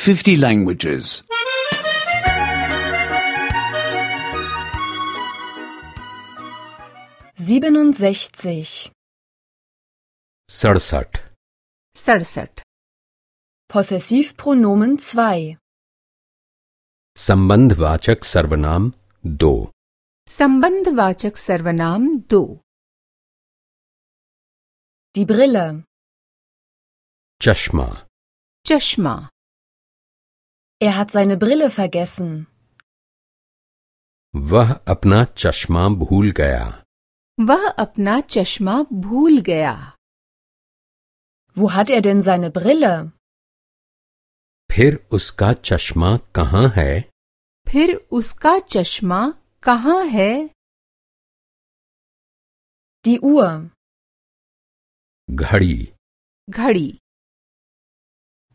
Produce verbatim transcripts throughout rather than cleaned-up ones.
fifty languages. siebenundsechzig. सड़सठ सड़सठ Possessivpronomen zwei. संबंधवाचक सर्वनाम दो संबंधवाचक सर्वनाम दो Die Brille. चश्मा चश्मा Er hat seine Brille vergessen. वह अपना चश्मा भूल गया वह अपना चश्मा भूल गया Wo hat er denn seine Brille? फिर उसका चश्मा कहाँ है फिर उसका चश्मा कहाँ है Die Uhr. घड़ी घड़ी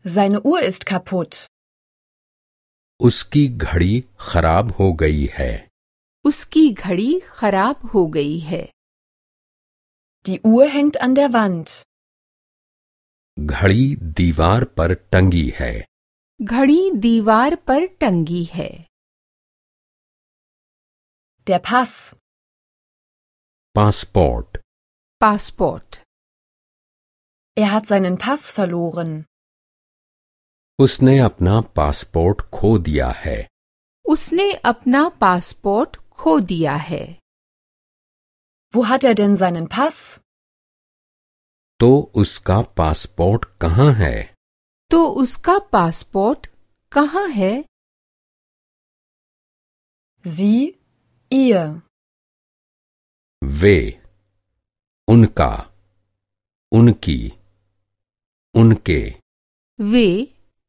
Seine Uhr ist kaputt. उसकी घड़ी खराब हो गई है उसकी घड़ी खराब हो गई है Die Uhr hängt an der Wand. घड़ी दीवार पर टंगी है घड़ी दीवार पर टंगी है Der Pass. Passport passport Er hat seinen Pass verloren. उसने अपना पासपोर्ट खो दिया है उसने अपना पासपोर्ट खो दिया है Wo hat er denn seinen Pass? तो उसका पासपोर्ट कहाँ है तो उसका पासपोर्ट कहाँ है Sie, ihr. वे उनका उनकी उनके वे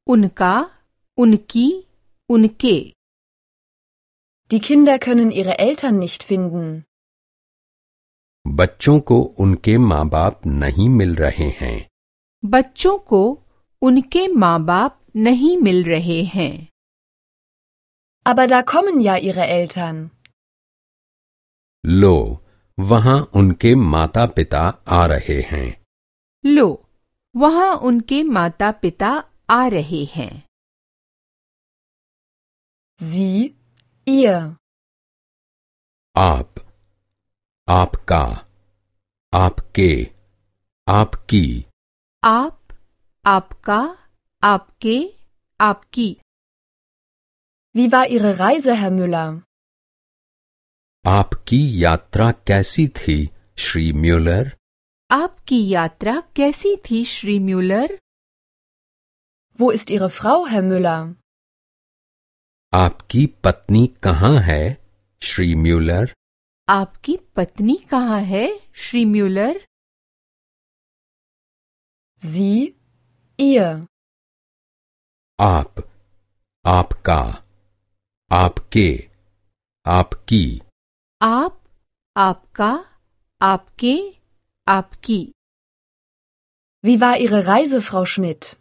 उनका उनकी उनके Die Kinder können ihre Eltern nicht finden. बच्चों को उनके माँ बाप नहीं मिल रहे हैं बच्चों को उनके माँ बाप नहीं मिल रहे हैं Aber da kommen ja ihre Eltern. लो वहाँ उनके माता पिता आ रहे हैं लो वहाँ उनके माता पिता आ रहे हैं Sie, ihr. आप आपका आपके आपकी आप आपका आपके आपकी Wie war Ihre Reise, Herr Müller? आपकी यात्रा कैसी थी श्री म्यूलर आपकी यात्रा कैसी थी Shri Müller Wo ist Ihre Frau, Herr Müller? आपकी पत्नी कहाँ है श्री म्यूलर आपकी पत्नी कहाँ है श्री म्यूलर Sie, ihr. आप आपका आपके आपकी आप आपका आपके आपकी Wie war Ihre Reise, Frau Schmidt?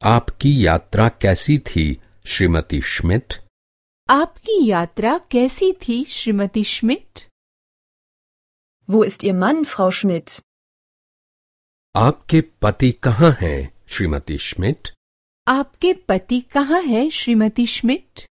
आपकी यात्रा कैसी थी श्रीमती श्मिट आपकी यात्रा कैसी थी Shrimati Schmidt Wo ist Ihr Mann, Frau Schmidt? आपके पति कहाँ हैं श्रीमती श्मिट आपके पति कहाँ है श्रीमती श्मिट